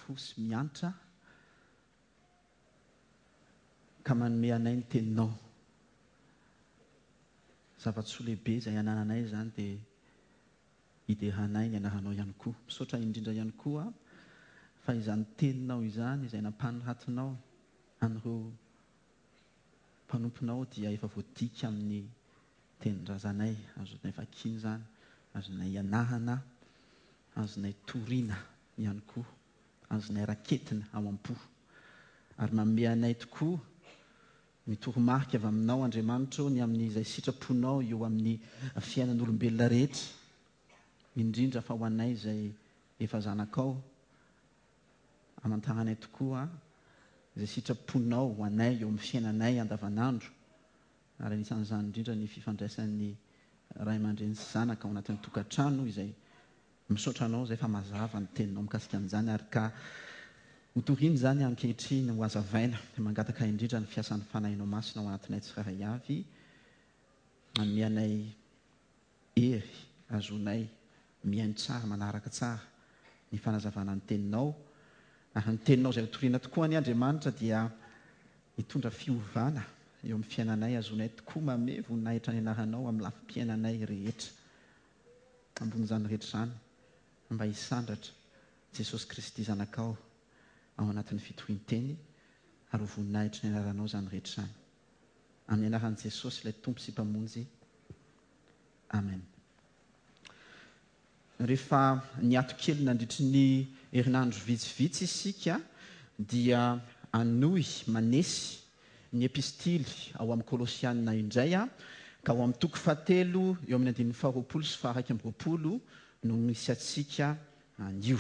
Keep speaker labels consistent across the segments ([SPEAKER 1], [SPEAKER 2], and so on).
[SPEAKER 1] fo sy miantra ka manome anay ny Teninao. Zava-tsoa lehibe izay anananay izany dia hideranay ny anaranao ihany koa. Misaotra indrindra ihany koa fa izany Teninao izany izay nampanoratinao an'ireo mpanomponao dia efa voadika amin'ny tenin-drazanay, azonay vakiana izany, azonay ianarana, azonay torina ihany koa, azonay raketina ao am-po. Ary manome anay tokoa ny toromarika avy aminao Andriamanitra ô ny amin'izay sitraponao eo amin'ny fiainan'olombelona rehetra, indrindra fa ho anay izay efa zanakao, Amantaranay tokoa izay sitraponao ho anay eo amin'ny fiainanay andavanandro, ary anisan'izany indrindra ny fifandraisan'ny ray aman-dreny sy zanaka ao anatin'ny tokantrano izay misaotra anao izay fa mazava ny teninao mikasika an'izany ary ka ho toriana izany ankehitriny ho hazavaina dia mangataka indrindra ny fiasan'ny Fanahinao Masina ao anatinay tsirairay avy hanome anay Hery azonay mihaino tsara, manaraka tsara ny fanazavana ny Teninao, ary ny Teninao izay hotorina tokoa anie Andriamanitra dia hitondra fiovana eo amin'ny fiainanay, azonay tokoa mamehy voninahitra ny Anaranao amin'ny lafim-piainanay rehetra. Ambonin'izany rehetra izany, mba hisandratra Jesosy Kristy Zanakao ao anatin'ny fitorian-teny, ary ho voninahitry ny Anaranao izany rehetra izany. Amin'ny anaran'i Jesosy ilay Tompo sy Mpamonjy. Amen. Rehefa niato kely nandritry ny herinandro vitsivitsy isika dia hanohy manesy ny epistily ao amin'ny Kolosiana indray, ka ao amin'ny toko fahatelo eo amin'ny andininy faharoapolo sy faha-21 no misy antsika anio.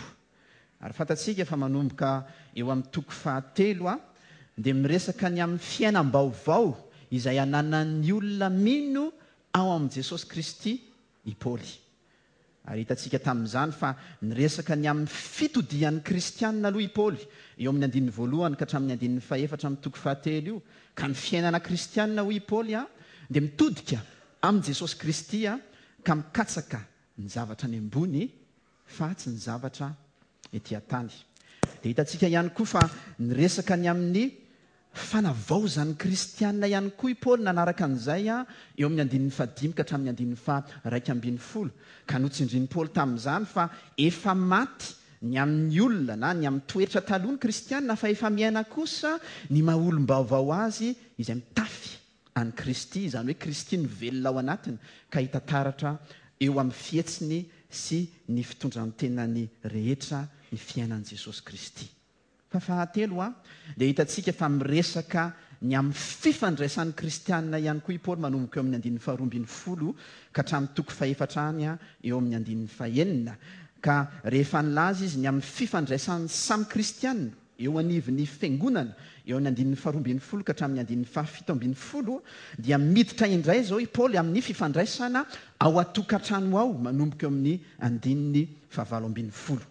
[SPEAKER 1] Ary fantatsika fa manomboka eo amin'ny toko fahatelo dia miresaka ny amin'ny fiainam-baovao izay ananan'ny olona mino ao amin'i Jesosy Kristy i Paoly. Ary hitantsika tamin'izany fa niresaka ny amin'ny fitodian'ny kristiana aloha i Paoly, eo amin'ny andininy voalohany ka hatramin'ny andininy fahefatra amin'ny toko fahatelo io. Ka ny fiainana kristiana, hoy i Paoly, dia mitodika amin'i Jesosy Kristy ka mikatsaka ny zavatra any ambony fa tsy ny zavatra ety an-tany. Dia hitantsika ihany koa fa niresaka ny amin'ny fanavaozan'ny kristiana ihany koa i Paoly nanaraka an'izay eo amin'ny andininy fahadimy ka hatramin'ny andininy faha-11. Ka notsindrin'i Paoly tamin'izany fa efa maty ny amin'ny olona na ny amin'ny toetra taloha ny kristiana fa efa miaina kosa ny maha olom-baovao azy izay mitafy an'i Kristy, izany hoe Kristy no velona ao anatiny ka hita taratra eo amin'ny fihetsiny sy ny fitondran-tenany rehetra ny fiainan'i Jesosy Kristy. Fa fahatelo, dia hitantsika fa miresaka ny amin'ny fifandraisan'ny kristiana ihany koa i Paoly manomboka eo amin'ny andininy faharoa ambin'ny folo ka hatramin'ny toko fahefatra any eo amin'ny andininy fahenina. Ka rehefa nilaza izy ny amin'ny fifandraisan'ny samy kristiana, Eo anivon'ny Fiangonana, eo amin'ny andininy faharoa ambin'ny folo ka hatramin'ny andininy fahafito ambin'ny folo, dia miditra indray izao i Paoly amin'ny fifandraisana ao an-tokantrano ao, manomboka eo amin'ny andininy fahavalo ambin'ny folo.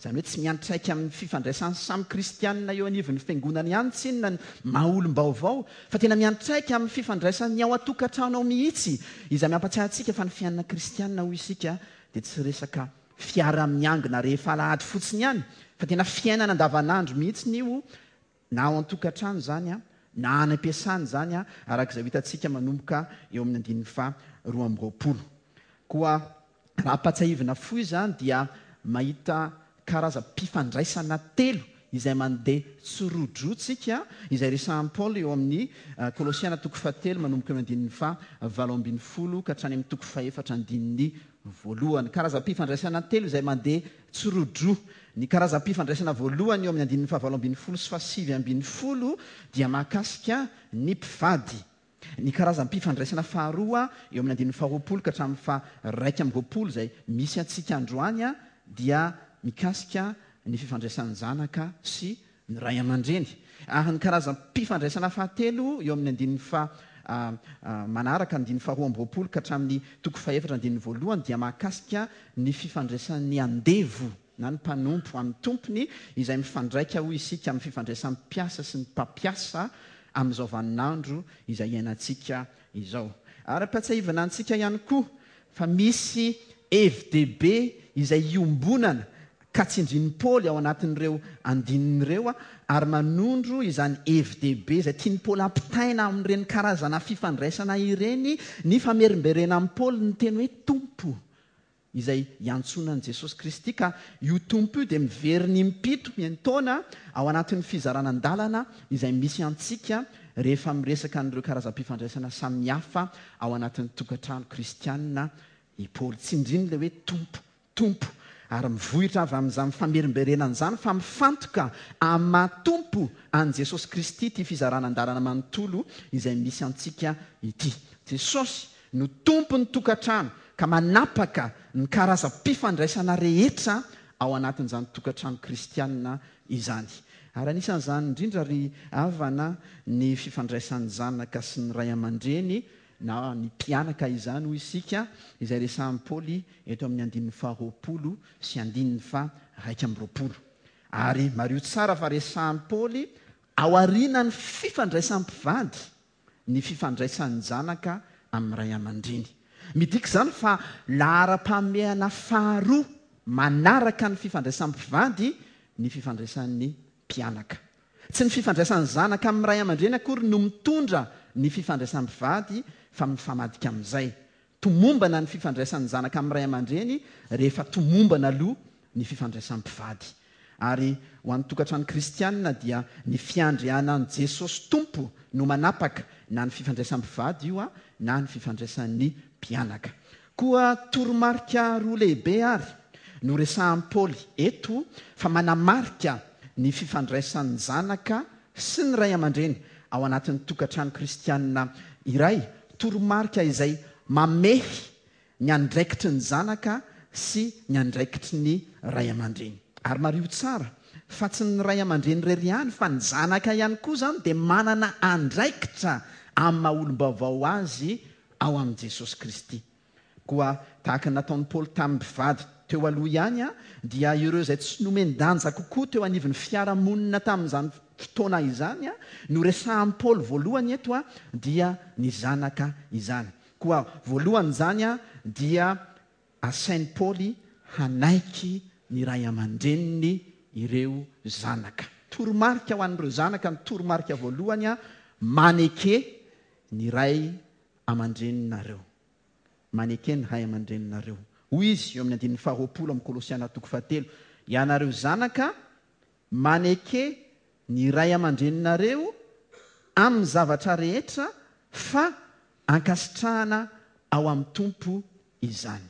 [SPEAKER 1] Izany hoe tsy miantraika amin'ny fifandraisan'ny samy kristianina eo anivon'ny Fiangonana ihany tsinona ny maha olom-baovao, fa tena miantraika amin'ny fifandraisan'ny ao an-tokantrano ao mihitsy, izay mampatsiahy antsika fa ny fiainana kristianina, hoy isika, dia tsy resaka fiara-miangona rehefa alahady fotsiny ihany fa tena fiainana andavanandro mihitsiny io na ao an-tokantrano izany na any am-piasana izany araka izay ho hitantsika manomboka eo amin'ny andininy faha 22. Koa raha ampatsiahivina fohy izany dia mahita karazam-pifandraisana telo izay mandeha tsirodroa tsika, izay resahan'i Paoly eo amin'ny Kolosiana toko fahatelo manomboka eo amin'ny andininy faha 18 ka hatrany amin'ny toko fahefatra andininy voalohany. Karazam-pifandraisana telo izay mandeha tsirodroa. Ny karazam-pifandraisana voalohany eo amin'ny andininy faha 18 sy faha 19 dia mahakasika ny mpivady. Ny karazam-pifandraisana faharoa eo amin'ny andininy faharoapolo ka hatramin'ny faha-21 izay misy antsika androany dia mikasika ny fifandraisan'ny zanaka sy ny ray aman-dreny. Ary ny karazam-pifandraisana fahatelo eo amin'ny andininy faha manaraka, andininy faharoa amby roapolo ka hatramin'ny toko fahefatra andininy voalohany dia mahakasika ny fifandraisan'ny andevo na ny mpanompo amin'ny tompony izay mifandraika hoy isika amin'ny fifandraisan'ny mpiasa sy ny mpampiasa amin'izao vaninandro izay iainantsika izao. Ary ampatsiahivana antsika ihany koa fa misy hevi-dehibe izay iombonana ka. ka tsindrin'i Paoly ao anatin'ireo andininy ireo ary manondro izany hevi-dehibe izay tian'i Paoly hampitaina amin'ireny karazana fifandraisana ireny ny famerimberenan'i Paoly ny teny hoe Tompo izay iantsoana an'i Jesosy Kristy ka io Tompo io dia miverina impito miantaona ao anatin'ny fizarana an-dalana izay misy antsika rehefa miresaka an'ireo karazam-pifandraisana samihafa ao anatin'ny tokantrano kristianina i Paoly. Tsindriny ilay hoe Tompo. Tompo, ary mivohitra avy amin'izany famerimberenana izany fa mifantoka amin'ny maha Tompo an'i Jesosy Kristy ity fizarana an-dalana manontolo izay misy antsika ity. Jesosy no Tompon'ny tokantrano ka manapaka ny karazam-pifandraisana rehetra ao anatin'izany tokantrano kristianina izany. Ary anisan'izany indrindra ry havana ny fifandraisan'ny zanaka sy ny ray aman-dreny na ny mpianaka izany hoy isika, izay resahin'i Paoly eto amin'ny andininy faharoapolo sy andininy faha-21. Ary mariho tsara fa resahin'i Paoly aorianan'ny fifandraisan'ny mpivady ny fifandraisan'ny zanaka amin'ny ray aman-dreny. Midika izany fa laharam-pahamehana faharoa manaraka ny fifandraisan'ny mpivady ny fifandraisan'ny mpianaka. Tsy ny fifandraisan'ny zanaka amin'ny ray aman-dreny akory no mitondra ny fifandraisan'ny mpivady fa mifamadika amin'izay. Tomombana ny fifandraisan'ny zanaka amin'ny ray aman-dreny rehefa tomombana aloha ny fifandraisan'ny mpivady. Ary ho an'ny tokantrano kristianina dia ny fiandrianan'i Jesosy Tompo no manapaka na ny fifandraisan'ny mpivady io na ny fifandraisan'ny mpianaka. Koa toromarika roa lehibe àry no resahin'i Paoly eto fa manamarika ny fifandraisan'ny zanaka sy ny ray aman-dreny ao anatin'ny tokantrano kristianina iray, toromarika izay mamehy ny andraikitry ny zanaka sy ny andraikitry ny ray aman-dreny. Ary mariho tsara fa tsy ny ray aman-dreny irery ihany fa ny zanaka ihany koa izany dia manana andraikitra amin'ny maha-olom-baovao azy ao amin'i Jesosy Kristy. Koa tahaka ny nataon'i Paoly tamin'ny mpivady teo aloha ihany, dia ireo izay tsy nomen-danja kokoa teo anivon'ny fiarahamonina tamin'izany fotoana izany no resahin'i Paoly voalohany eto, dia ny zanaka izany. Koa voalohany izany dia asain'i Paoly hanaiky ny ray aman-dreniny ireo zanaka. Toromarika ho an'ireo zanaka ny toromarika voalohany, maneke ny ray aman-dreninareo. Maneke ny ray aman-dreninareo. Hoy izy eo amin'ny andininy faharoapolo amin'ny Kolosiana toko fahatelo, Ianareo zanaka, maneke ny ray aman-dreninareo amin'ny zavatra rehetra fa ankasitrahana ao amin'ny Tompo izany.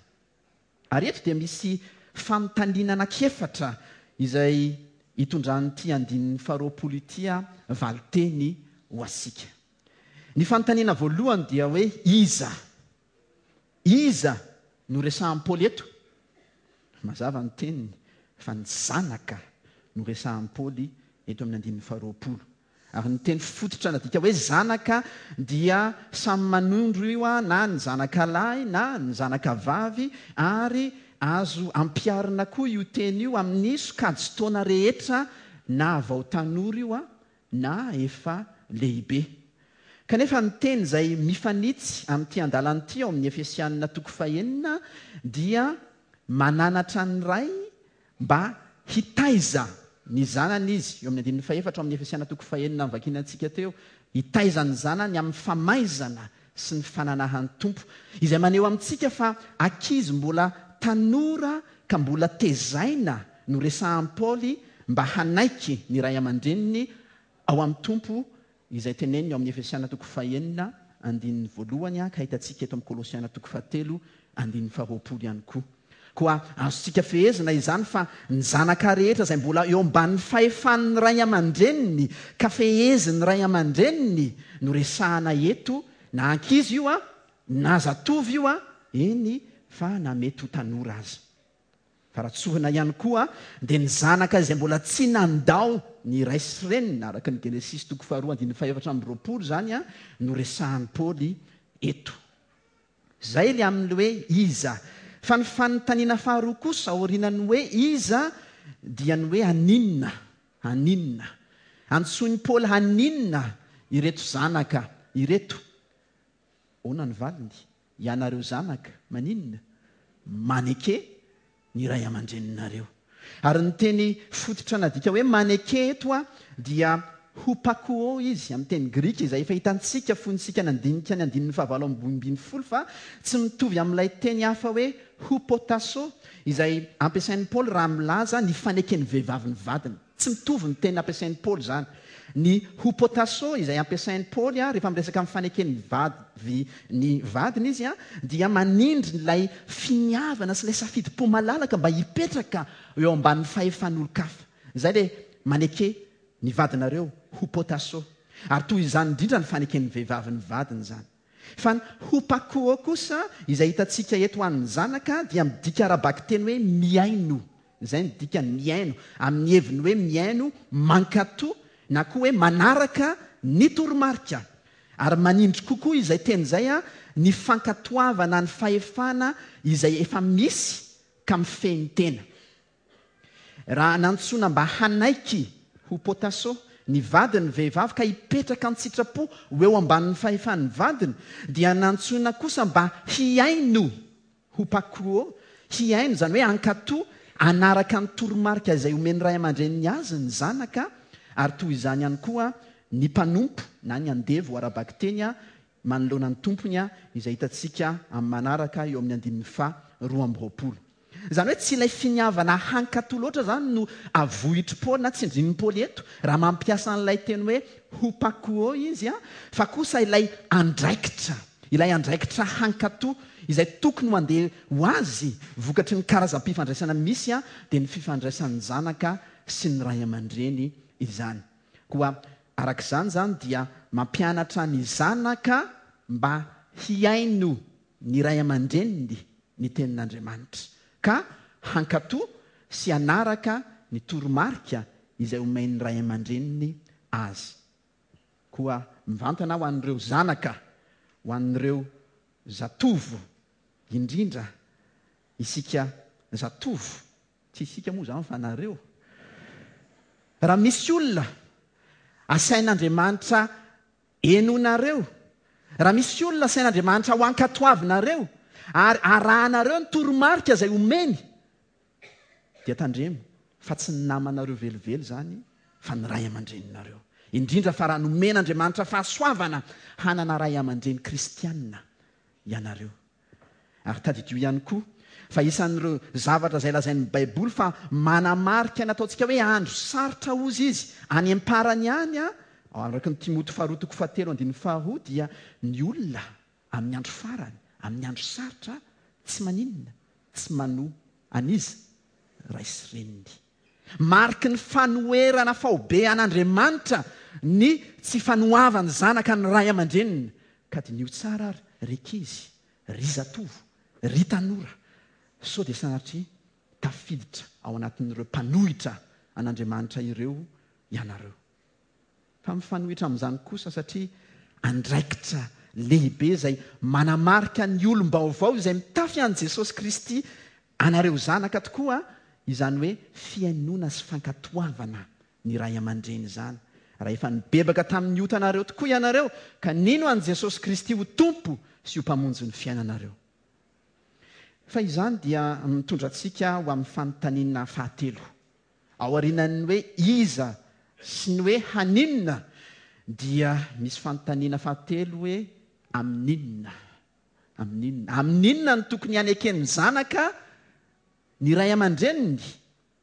[SPEAKER 1] Ary eto dia misy fanontaniana anankiefatra izay itondran'ity andininy faharoapolo ity valinteny ho antsika. Ny fanontaniana voalohany dia hoe iza? Iza no resahan'i Paoly eto? Mazava ny teniny fa ny zanaka no resahan'i Paoly eto amin'ny andininy faharoapolo. Ary ny teny fototra nadika hoe zanaka dia samy manondro io na ny zanaka lahy na ny zanaka vavy ary azo ampiharina koa io teny io amin'ny sokajin-taona rehetra na vao tanora io na efa lehibe. Kanefa ny teny izay mifanitsy amin'ity andalana ity ao amin'ny Efesianina toko fahenina dia mananatra ny ray mba hitaiza ny zanany izy, eo amin'ny andininy fahefatra ao amin'ny Efesiana toko fahenina novakiana antsika teo, hitaiza ny zanany amin'ny famaizana sy ny fananahan'ny Tompo, izay maneho amintsika fa ankizy mbola tanora ka mbola tezaina no resahan'i Paoly mba hanaiky ny ray aman-dreniny ao amin'ny Tompo, izay teneniny ao amin'ny Efesiana toko fahenina andininy voalohany ka hitantsika eto amin'ny Kolosiana toko fahatelo andininy faharoapolo ihany koa. Koa azontsika fehezina izany fa ny zanaka rehetra izay mbola eo ambanin'ny fahefan'ny ray aman-dreniny ka fehezin'ny ray aman-dreniny no resahana eto, na ankizy io na zatovo io, eny fa na mety ho tanora aza. Fa raha tsorina ihany koa dia ny zanaka izay mbola tsy nandao ny ray sy reniny, araka ny Genesisy toko faharoa andininy fahefatra amby roapolo izany no resahan'i Paoly eto. Izay ilay amin'ny hoe iza. Fa ny fanontaniana faharoa kosa aorianan'ny hoe iza dia ny hoe haninona? Haninona? Antsoin'i Paoly haninona ireto zanaka ireto? Ahoana ny valiny? Ianareo zanaka, maninona? Maneke ny ray aman-dreninareo. Ary ny teny fototra nadika hoe maneke eto dia hupakuo izy amin'ny teny grika izay efa hitantsika fony isika nandinika ny andininy fahavalo 18 fa tsy mitovy amin'ilay teny hafa hoe hupotasso izay ampiasain'i Paoly raha milaza ny faneken'ny vehivavy ny vadiny. Tsy mitovy ny teny ampiasain'i Paoly izany. Ny hupotasso izay ampiasain'i Paoly rehefa miresaka amin'ny faneken'ny vavy ny vadiny izy dia manindry ilay finiavana sy ilay safidim-po malalaka mba hipetraka eo ambanin'ny fahefan'olon-kafa. Izay ilay maneke ny vadinareo, hupotasso. Ary toy izany indrindra ny faneken'ny vehivavy ny vadiny izany. Fa ny hupakuo kosa, izay hitantsika eto ho an'ny zanaka, dia midika ara-bakiteny hoe mihaino. Izay no dikany, mihaino, amin'ny heviny hoe mihaino, mankatò, na koa hoe manaraka ny toromarika. Ary manindry kokoa izay teny izay ny fankatoavana ny fahefana izay efa misy ka mifehy ny tena. Raha nantsoina mba hanaiky ho potasso ny vadiny ny vehivavy ka hipetraka an-tsitrapo ho eo ambanin'ny fahefan'ny vadiny, dia nantsoina kosa mba hihaino ho pakuo, hihaino, izany hoe hankatò, hanaraka ny toromarika izay omen'ny ray aman-dreniny azy ny zanaka, ary toy izany ihany koa ny mpanompo na ny andevo ara-bakiteny manoloana ny tompony, izay hitantsika amin'ny manaraka eo amin'ny andininy faha 22. Izany hoe tsy ilay finiavana hankatò loatra izany no avohitr'i Paoly na tsindrin'i Paoly eto raha mampiasa an'ilay teny hoe hupakuo izy, fa kosa ilay andraikitra, ilay andraikitra hankatò izay tokony ho andeha ho azy vokatry ny karazam-pifandraisana misy dia ny fifandraisan'ny zanaka sy ny ray aman-dreny izany. Koa araka izany izany dia mampianatra ny zanaka mba hihaino ny ray aman-dreniny ny Tenin'Andriamanitra, ka hankatò sy hanaraka ny toromarika izay omen'ny ray aman-dreniny azy. Koa mivantana ho an'ireo zanaka, ho an'ireo zatovo, indrindra isika zatovo, tsy isika moa izany fa nareo, raha misy olona asain'Andriamanitra Henoinareo, raha misy olona asain'Andriamanitra ho ankatoavinareo ary arahanareo ny toromarika izay omeny, dia tandremo fa tsy ny namanareo velively izany fa ny ray aman-dreninareo. Indrindra fa raha nomen'Andriamanitra fahasoavana hanana ray aman-dreny kristiana ianareo. Ary tadidio ihany koa fa isan'ireo zavatra izay lazain'ny Baiboly fa manamarika ny ataontsika hoe andro sarotra hozy izy any am-parany any, araka ny Timoty faharoa toko fahatelo andininy faharoa, dia ny olona amin'ny andro farany, amin'ny andro sarotra, tsy maninona, tsy manoa an'iza? Ray sy reniny. Mariky ny fanoherana faobe an'Andriamanitra ny tsy fanoavan'ny zanaka ny ray aman-dreniny. Ka diniho tsara ary ry ankizy, ry zatovo, ry tanora, sao dia sanatria tafiditra ao anatin'ireo mpanohitra an'Andriamanitra ireo ianareo. Fa mifanohitra amin'izany kosa satria andraikitra lehibe izay manamarika ny olom-baovao izay mitafy an'i Jesosy Kristy anareo zanaka tokoa izany hoe fihainoana sy fankatoavana ny ray aman-dreny izany. Raha efa nibebaka tamin'ny otanareo tokoa ianareo ka nino an'i Jesosy Kristy ho Tompo sy ho Mpamonjy ny fiainanareo. Fa izany dia mitondra antsika ho amin'ny fanontaniana fahatelo. Aorianan'ny hoe iza sy ny hoe haninona dia misy fanontaniana fahatelo hoe amin'inona? Amin'inona? Amin'inona no tokony haneken'ny zanaka ny ray aman-dreniny?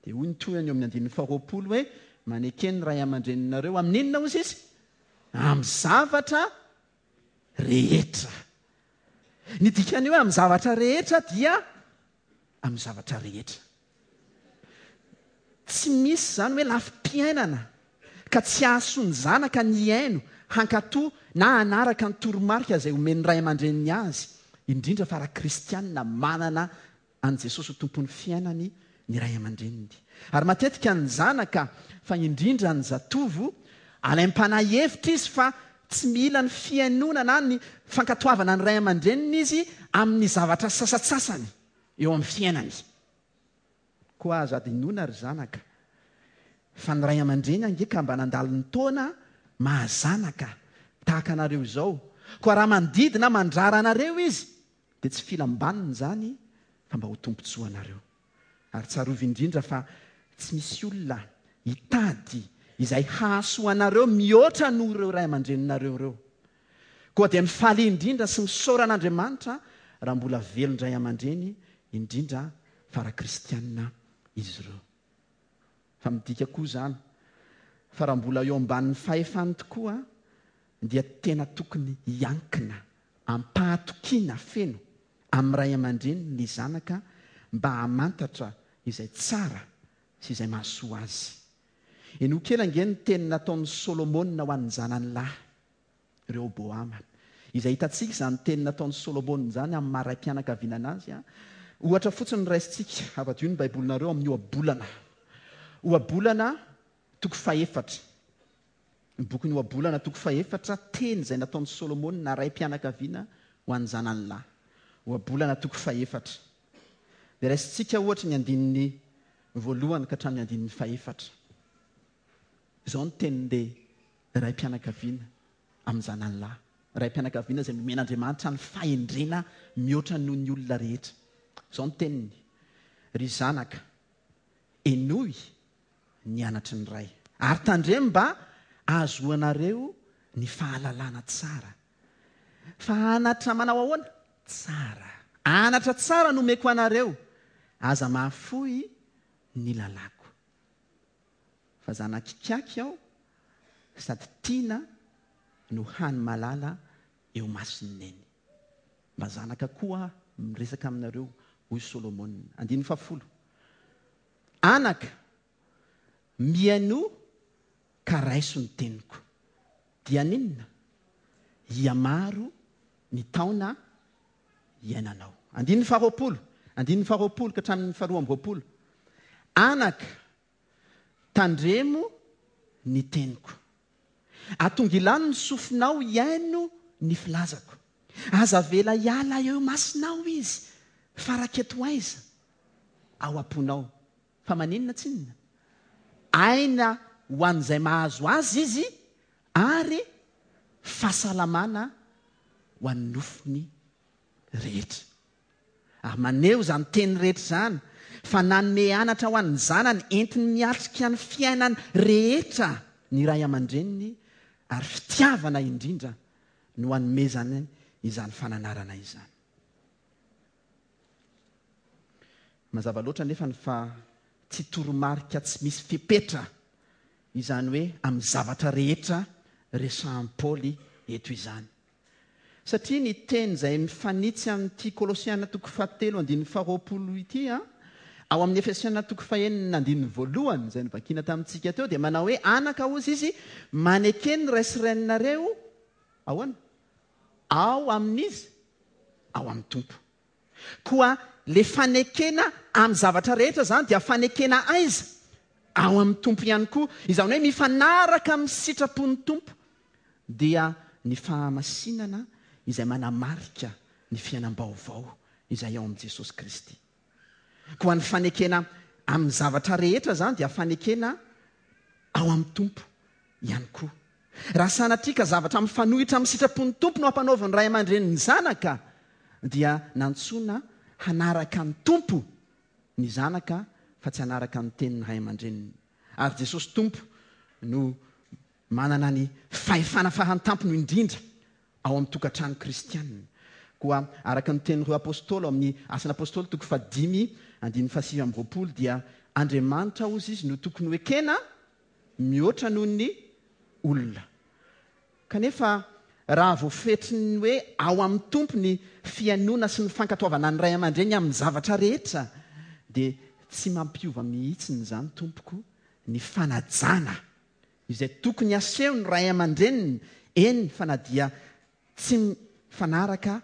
[SPEAKER 1] Dia hoy ny tohiny eo amin'ny andininy faharoapolo hoe maneke ny ray aman-dreninareo amin'inona hozy izy? Amin'ny zavatra rehetra. Ny dikan'ny hoe amin'ny zavatra rehetra dia amin'ny zavatra rehetra. Tsy misy izany hoe lafim-piainana ka tsy hahasoa ny zanaka ny hihaino, hankatò na hanaraka ny toromarika izay omen'ny ray aman-dreniny azy, indrindra fa raha kristianina manana an'i Jesosy ho Tompon'ny fiainany ny ray aman-dreniny. Ary matetika ny zanaka, fa indrindra ny zatovo, alaim-panahy hevitra izy fa tsy mila ny fihainoana na ny fankatoavana ny ray aman-dreniny izy amin'ny zavatra sasantsasany eo amin'ny fiainany. Koa aza adinoina ry zanaka fa ny ray aman-dreny ange ka mba nandalo ny taona maha zanaka tahaka anareo izao. Koa raha mandidy na mandrara anareo izy dia tsy filam-baniny izany fa mba ho tombontsoanareo. Ary tsarovy indrindra fa. Tsy misy olona hitady izay hahasoa anareo mihoatra noho ireo ray aman-dreninareo ireo. Koa dia mifalia indrindra sy misaora an'Andriamanitra raha mbola velon-dray aman-dreny, indrindra fa raha kristiana izy ireo. Fa midika koa izany fa raha mbola eo ambanin'ny fahefany tokoa dia tena tokony hiankina am-pahatokiana feno amin'ny ray aman-dreniny ny zanaka mba hamantatra izay tsara sy izay mahasoa azy. Henoy kely ange ny teny nataon'i Solomona ho an'ny zanany lahy, Rehoboama. Izay hitantsika izany teny nataon'i Solomona izany amin'ny maha raim-pianakaviana azy. Ohatra fotsiny no raisintsika, avadio ny Baibolinareo amin'ny Ohabolana. Ohabolana toko fahefatra. Ny bokin'ny Ohabolana toko fahefatra, teny izay nataon'i Solomona raim-pianakaviana ho an'ny zanany lahy. Ohabolana toko fahefatra. Dia raisintsika ohatra ny andininy voalohany ka hatramin'ny andininy fahefatra. Izao ny tenin'ilay raim-pianakaviana amin'ny zanany lahy. Raim-pianakaviana izay nomen'Andriamanitra ny fahendrena mihoatra noho ny olona rehetra. Izao ny teniny, Ry zanaka, henoy ny anatry ny Ray. Ary tandremo mba hahazoanareo ny fahalalana tsara. Fa anatra manao ahoana? Tsara. Anatra tsara no omeko anareo, aza mahafoy ny lalàko. Fa zanak'ikaky aho sady tiana no hany malala eo mason'i Neny. Mba zanaka koa aho miresaka aminareo, hoy Solomona. Andininy fahafolo. Anaka, mihainoa ka raiso ny teniko. Dia haninona? Hihamaro ny taona iainanao. Andininy faharoapolo, andininy faharoapolo ka hatramin'ny faharoa amby roapolo. Anaka, tandremo ny teniko. Atongilano ny sofinao hihaino ny filazako. Aza avela hiala eo imasonao izy, fa raketo aiza? Ao am-ponao. Fa maninona tsinona? Aina ho an'izay mahazo azy izy ary fahasalamana ho an'ny nofony rehetra. Ary maneho izany teny rehetra izany fa nanome anatra ho an'ny zanany entiny miatrika ny fiainany rehetra ny ray aman-dreniny ary fitiavana indrindra no anomezany izany fananarana izany. Mazava loatra anefa ny fa tsy toromarika tsy misy fepetra izany hoe amin'ny zavatra rehetra resahan'i Paoly eto izany. Satria ny teny izay mifanitsy amin'ity Kolosiana toko fahatelo andininy faharoapolo ity, ao amin'ny Efesiana toko fahenina andininy voalohany izay novakiana tamintsika teo dia manao hoe anaka hozy izy maneke ny ray sy reninareo ahoana? Ao amin'iza? Ao amin'ny Tompo. Koa le fanekena amin'ny zavatra rehetra izany dia fanekena aiza? Ao amin'ny Tompo ihany koa. Izany hoe mifanaraka amin'ny sitrapon'ny Tompo dia ny fahamasinana izay manamarika ny fiainam-baovao izay ao amin'i Jesosy Kristy. Koa ny fanekena amin'ny zavatra rehetra izany dia fanekena ao amin'ny Tompo ihany koa. Raha sanatria ka zavatra mifanohitra amin'ny sitrapon'ny Tompo no ampanaovin'ny ray aman-dreny ny zanaka, dia nantsoina hanaraka ny Tompo ny zanaka fa tsy hanaraka ny tenin'ny ray aman-dreniny. Ary Jesosy Tompo no manana ny fahefana farantampony indrindra ao amin'ny tokantrano kristianina. Koa araka ny tenin'ireo Apôstôly ao amin'ny Asan'ny Apôstôly toko fahadimy andininy fahasivy amby roapolo dia Andriamanitra hozy izy no tokony ho ekena mihoatra noho ny olona. Kanefa raha voafetry ny hoe ao amin'ny Tompo ny fihainoana sy ny fankatoavana ny ray aman-dreny amin'ny zavatra rehetra dia tsy mampiova mihitsy izany tompoko ny fanajana izay tokony haseho ny ray aman-dreniny, eny fa na dia tsy mifanaraka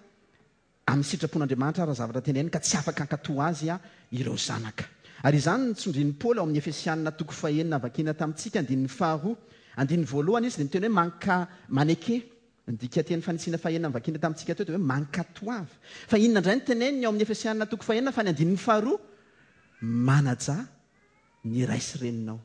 [SPEAKER 1] amin'ny sitrapon'Andriamanitra ara zavatra teneniny ka tsy afaka hankatò azy ireo zanaka. Ary izany no tsindrin'i Paoly ao amin'ny Efesianina toko fahenina vakina tamintsika, andininy faharoa. Andininy voalohany izy dia miteny hoe manka, maneke. Ny dikanteny fanitsiana fahenina novakina tamintsika teo dia hoe mankatoava. Fa inona indray no teneniny ao amin'ny Efesianina toko fahenina fa ny andininy faharoa? Manajà ny ray sy reninao.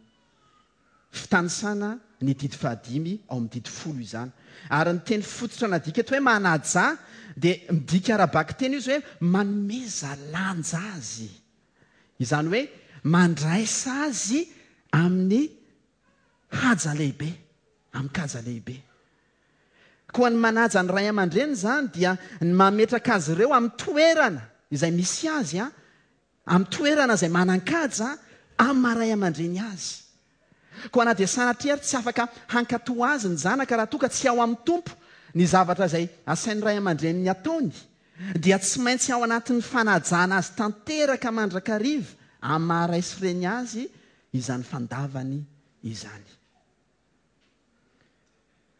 [SPEAKER 1] Fitanisana ny didy fahadimy ao amin'ny didy folo izany. Ary ny teny fototra nadika eto hoe manajà dia midika ara-bakiteny izy hoe manomeza lanja azy. Izany hoe Mandraisa azy amin'ny haja lehibe, amin-kaja lehibe. Koa ny manaja ny ray aman-dreny izany dia ny mametraka azy ireo amin'ny toerana izay misy azy, amin'ny toerana izay manan-kaja amin'ny maha ray aman-dreny azy. Koa na dia sanatria ary tsy afaka hankatò azy ny zanaka raha toa ka tsy ao amin'ny Tompo ny zavatra izay asain'ny ray aman-dreniny ataony, dia tsy maintsy ao anatin'ny fanajana azy tanteraka mandrakariva amin'ny maha ray sy reny azy izany fandavany izany.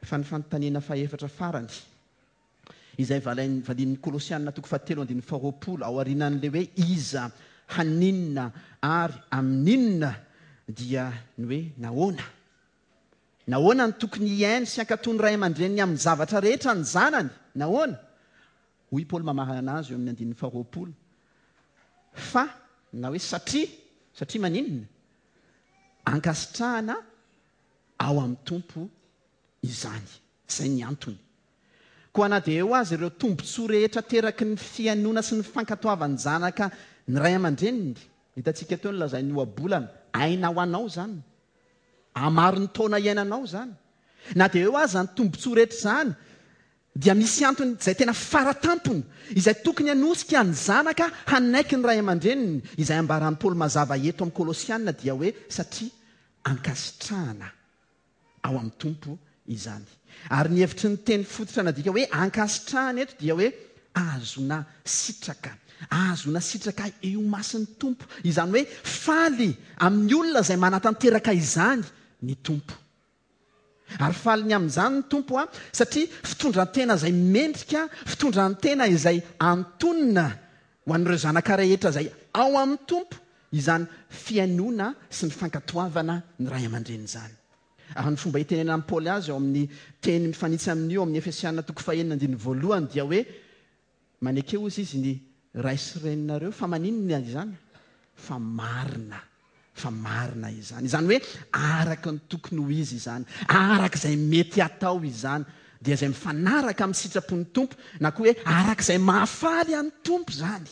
[SPEAKER 1] Fa ny fanontaniana fahefatra farany, izay valain'ny valian'ny Kolosiana toko fahatelo andininy faharoapolo, aorianan'ilay hoe iza, haninona ary amin'inona, dia ny hoe nahoana? Nahoana no tokony hihaino sy hankatò ny ray aman-dreniny amin'ny zavatra rehetra ny zanany? Nahoana? Hoy i Paoly mamarana azy eo amin'ny andininy faharoapolo, Fa, na hoe satria, satria maninona? Ankasitrahana ao amin'ny Tompo izany. Izay ny antony. Koa na dia eo aza ireo tombontsoa rehetra ateraky ny fihainoana sy ny fankatoavan'ny zanaka ny ray aman-dreniny, hitantsika teo ny lazain'ny ohabolana, aina ho anao izany, hamaro ny taona iainanao izany. Na dia eo aza ny tombontsoa rehetra izany, dia misy antony izay tena fara tampony, izay tokony hanosika ny zanaka hanaiky ny ray aman-dreniny, izay ambaran'i Paoly mazava eto amin'ny Kolosiana dia hoe satria ankasitrahana ao amin'ny Tompo izany. Ary ny hevitry ny teny fototra nadika hoe ankasitrahana eto dia hoe ahazoana sitraka. Ahazoana sitraka eo imason'ny Tompo. Izany hoe faly amin'ny olona izay manatanteraka izany ny Tompo. Ary faly ny amin'izany ny Tompo satria fitondran-tena izay mendrika, fitondran-tena izay antonona ho an'ireo zanaka rehetra izay ao amin'ny Tompo izany fihainoana sy ny fankatoavana ny ray aman-dreny izany. Ary ny fomba itenenan'i Paoly azy ao amin'ny teny mifanitsy amin'io ao amin'ny Efesiana toko fahenina andininy voalohany dia hoe Maneke hozy izy ny ray sy reninareo fa maninona izany? Fa marina, fa marina izany. Izany hoe araka ny tokony ho izy izany, araka izay mety hatao izany, dia izay mifanaraka amin'ny sitrapon'ny Tompo, na koa hoe araka izay mahafaly an'ny Tompo izany.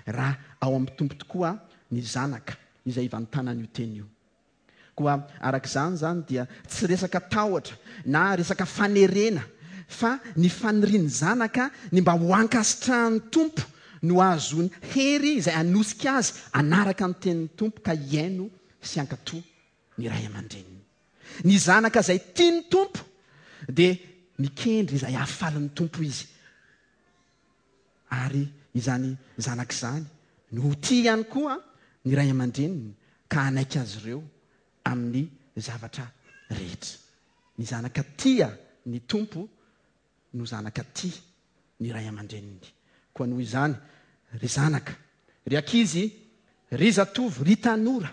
[SPEAKER 1] Raha ao amin'ny Tompo tokoa ny zanaka izay ivantanan'io teny io. Koa araka izany izany dia tsy resaka tahotra na resaka fanerena fa ny fanirian'ny zanaka ny mba ho ankasitrahan'ny Tompo no ahazoany hery izay hanosika azy hanaraka ny tenin'ny Tompo ka hihaino sy hankatò ny ray aman-dreniny. Ny zanaka izay tia ny Tompo dia mikendry izay hahafaly ny Tompo izy. Ary izany zanaka izany no ho tia ihany koa ny ray aman-dreniny ka hanaiky azy ireo amin'ny zavatra rehetra. Ny zanaka tia ny Tompo no zanaka tia ny ray aman-dreniny. Koa noho izany, ry zanaka, ry ankizy, Ry zatovo, ry tanora,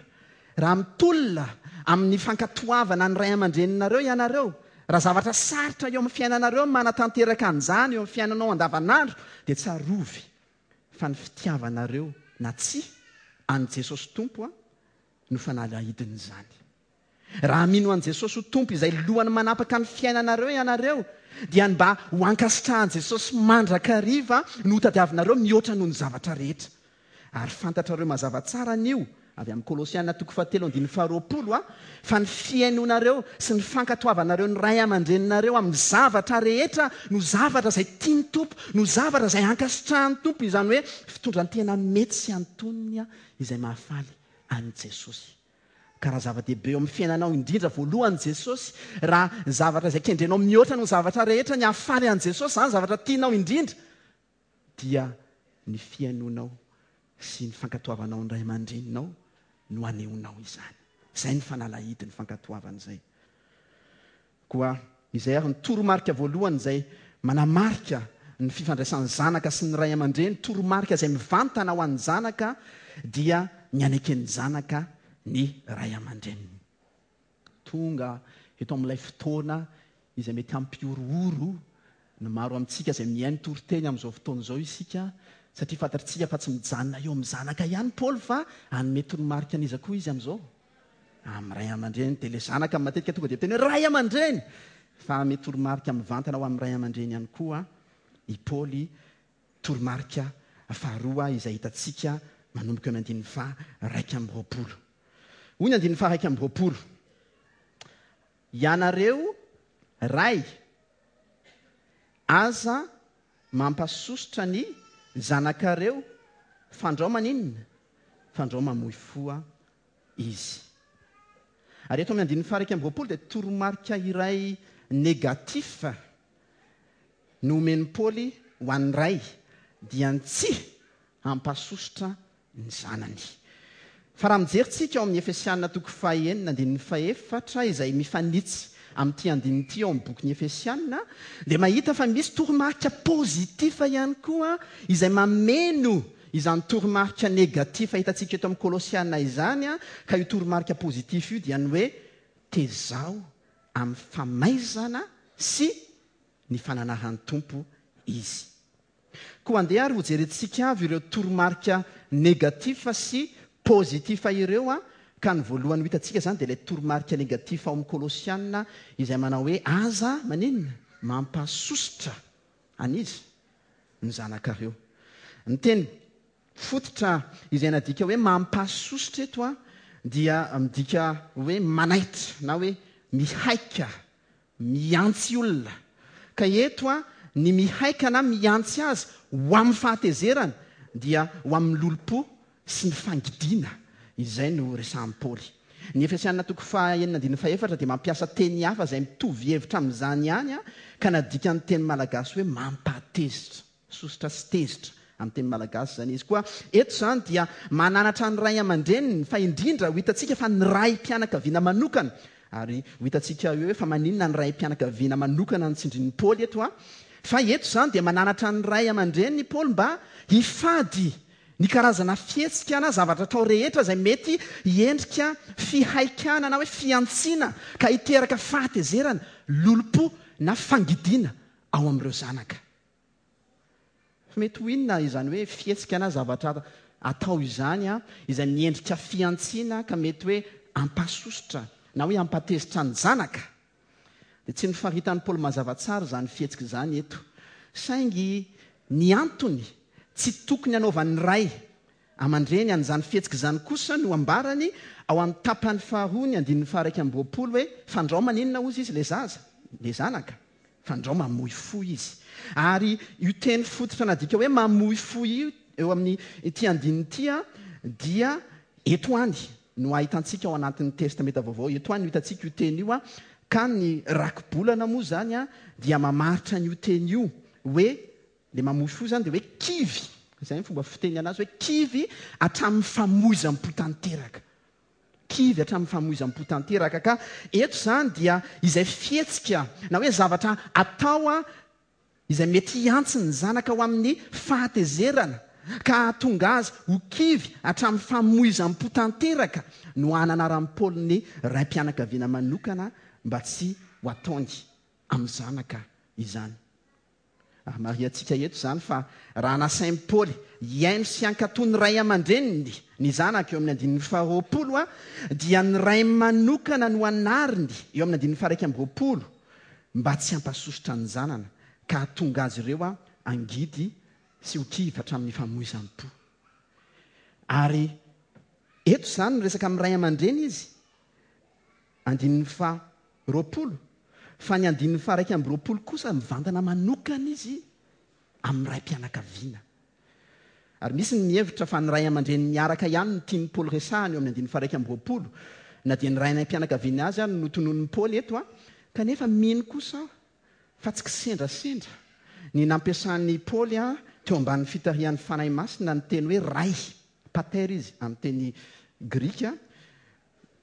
[SPEAKER 1] raha mitolona amin'ny fankatoavana ny ray aman-dreninareo ianareo, raha zavatra sarotra eo amin'ny fiainanareo ny manatanteraka an'izany eo amin'ny fiainanao andavanandro, dia tsarovy fa ny fitiavanareo na tsia an'i Jesosy Tompo no fanalahidin'izany. Raha mino an'i Jesosy ho Tompo izay lohany manapaka ny fiainanareo ianareo, dia ny mba ho ankasitrahan'i Jesosy mandrakariva no hotadiavinareo mihoatra noho ny zavatra rehetra. Ary fantatrareo mazava tsara anio, avy amin'ny Kolosiana toko fahatelo andininy faharoapolo, a, fa ny fihainoanareo sy ny fankatoavanareo ny ray aman-dreninareo amin'ny zavatra rehetra no zavatra izay tian'ny Tompo, no zavatra izay ankasitrahan'ny Tompo, izany hoe fitondran-tena mety sy antonony izay mahafaly an'i Jesosy. Ka raha zava-dehibe eo amin'ny fiainanao indrindra voalohany Jesosy, raha zavatra izay kendrenao mihoatra noho ny zavatra rehetra ny hahafaly an'i Jesosy, izany zavatra tianao indrindra, dia ny fihainoanao sy ny fankatoavanao ny ray aman-dreninao no anehoanao izany. Izay ny fanalahidin'ny fankatoavana izay. Koa izay ary ny toromarika voalohany izay manamarika ny fifandraisan'ny zanaka sy ny ray aman-dreny, toromarika izay mivantana ho an'ny zanaka dia ny haneken'ny zanaka ny ray aman-dreniny. Tonga eto amin'ilay fotoana izay mety hampihorohoro ny maro amintsika izay mihaino toriteny amin'izao fotoana izao isika, satria fantatritsika fa tsy mijanona eo amin'ny zanaka ihany Paoly fa hanome toromarika an'iza koa izy amin'izao? Amin'ny ray aman-dreny dia ilay zanaka matetika tonga dia miteny hoe ray aman-dreny! Fa hanome toromarika mivantana ho amin'ny ray aman-dreny ihany koa i Paoly, toromarika faharoa izay hitantsika manomboka eo amin'ny andininy faha 21. Hoy ny andininy faha 21, Ianareo ray, aza mampasosotra ny zanakareo fandrao maninona? Fandrao mamoy fo izy. Ary eto amin'ny andininy faha 21 dia toromarika iray négatif no omen'i Paoly ho an'ny ray, dia ny tsy hampasosotra ny zanany. Fa raha mijery tsika ao amin'ny Efesiana toko fahenina andininy fahefatra izay mifanitsy amin'ity andininy ity ao amin'ny bokin'ny Efesiana dia mahita fa misy toromarika positif ihany koa izay mameno izany toromarika negatif hitantsika eto amin'ny Kolosiana izany ka io toromarika positif io dia ny hoe tezao amin'ny famaizana sy ny fananahan'ny Tompo izy. Koa andeha ary hojerentsika avy ireo toromarika négatif sy positif ireo an, ka ny voalohany ho hitantsika izany dia ilay toromarika négatif ao amin'ny Kolosiana izay manao hoe aza maninona? Mampasosotra an'iza? Ny zanakareo. Ny teny fototra izay nadika hoe mampasosotra eto an dia midika hoe manaitra na hoe mihaika Mihantsy olona. Ka eto a, ny mihaika na mihantsy azy ho amin'ny fahatezerana dia ho amin'ny lolompo sy ny fangidiana. Izay no resahan'i Paoly. Ny Efesiana toko faha enina andininy fahefatra dia mampiasa teny hafa izay mitovy hevitra amin'izany ihany ka nadika ny teny malagasy hoe mampahatezitra. Sosotra sy tezitra amin'ny teny malagasy izany izy. Koa eto izany dia mananatra ny ray aman-dreniny fa indrindra ho hitantsika fa ny raim-pianakaviana manokana, ary ho hitantsika eo hoe fa maninona ny raim-pianakaviana manokana no tsindrin'i Paoly eto an? Fa eto izany dia mananatra ny ray aman-dreniny i Paoly mba hifady ny karazana fihetsika na zavatra atao rehetra izay mety hiendrika fihaikana na hoe fihantsiana ka hiteraka fahatezerana, lolompo na fangidiana ao amin'ireo zanaka. Fa mety ho inona izany hoe fihetsika na zavatra atao izany izay miendrika fihantsiana ka mety hoe hampasosotra na hoe hampatezitra ny zanaka? Dia tsy nofaritan'i Paoly mazava tsara izany fihetsika izany eto. Saingy ny antony tsy tokony hanaovan'ny ray aman-dreny an'izany fihetsika izany kosa no ambarany ao amin'ny tapany faharoa ny andininy faha-21 hoe, Fandrao maninona hozy izy ilay zaza, ilay zanaka? Fandrao mamoy fo izy. Ary io teny fototra nadika hoe mamoy fo io eo amin'ny ity andininy ity dia eto any no ahitantsika ao anatin'ny Testamenta Vaovao, eto any no hitantsika io teny io, ka ny rakibolana moa izany dia mamaritra an'io teny io hoe Ilay mamoy fo izany dia hoe kivy, izay ny fomba fiteny anazy hoe kivy hatramin'ny famoizam-po tanteraka. Kivy hatramin'ny famoizam-po tanteraka. Ka eto izany dia izay fihetsika na hoe zavatra atao izay mety hiantsy ny zanaka ho amin'ny fahatezerana ka hahatonga azy ho kivy hatramin'ny famoizam-po tanteraka no hananaran'i Paoly ny raim-pianakaviana manokana mba tsy ho ataony amin'ny zanaka izany. Ary marihantsika eto izany fa raha nasain'i Paoly hihaino sy hankatò ny ray aman-dreniny ny zanaka eo amin'ny andininy faharoapolo dia ny ray manokana no anariny eo amin'ny andininy faha-21 mba tsy hampasosotra ny zanana ka hahatonga azy ireo hangidy sy ho kivy hatramin'ny famoizam-po. Ary eto izany miresaka amin'ny ray aman-dreny izy Andininy faha 20, fa ny andininy faha 21 kosa mivantana manokana izy amin'ny raim-pianakaviana. Ary misy ny mihevitra fa ny ray aman-dreny miaraka ihany no tian'i Paoly resahana eo amin'ny andininy faha 21, na dia ny raim-pianakaviana azy ary no notononin'i Paoly eto, kanefa mino kosa aho fa tsy kisendrasendra ny nampiasan'i Paoly teo ambanin'ny fitarihan'ny Fanahy Masina ny teny hoe ray, pater izy amin'ny teny grika,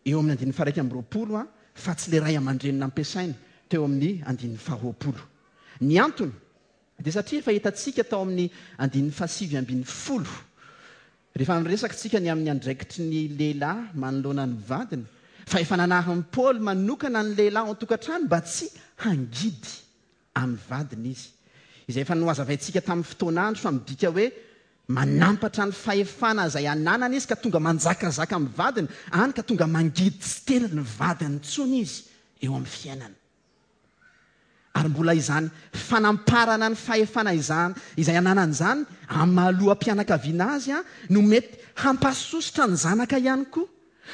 [SPEAKER 1] eo amin'ny andininy faha-21 fa tsy ilay ray aman-dreny nampiasainy teo amin'ny andininy faha-20. Ny antony dia satria efa hitantsika tao amin'ny andininy faha-19, rehefa niresaka isika ny amin'ny andraikitry ny lehilahy manoloana ny vadiny, fa efa nanarin'i Paoly manokana ny lehilahy ao an-tokantrano mba tsy hangidy amin'ny vadiny izy, izay efa nohazavaintsika tamin'ny fotoan'andro fa midika hoe manampatra ny fahefana izay ananany izy ka tonga manjakazaka amin'ny vadiny, any ka tonga mangidy tsy tena ny vadiny intsony izy eo amin'ny fiainana. Ary mbola izany fanamparana ny fahefana izany izay ananany izany amin'ny maha loham-pianakaviana azy no mety hampasosotra ny zanaka ihany koa,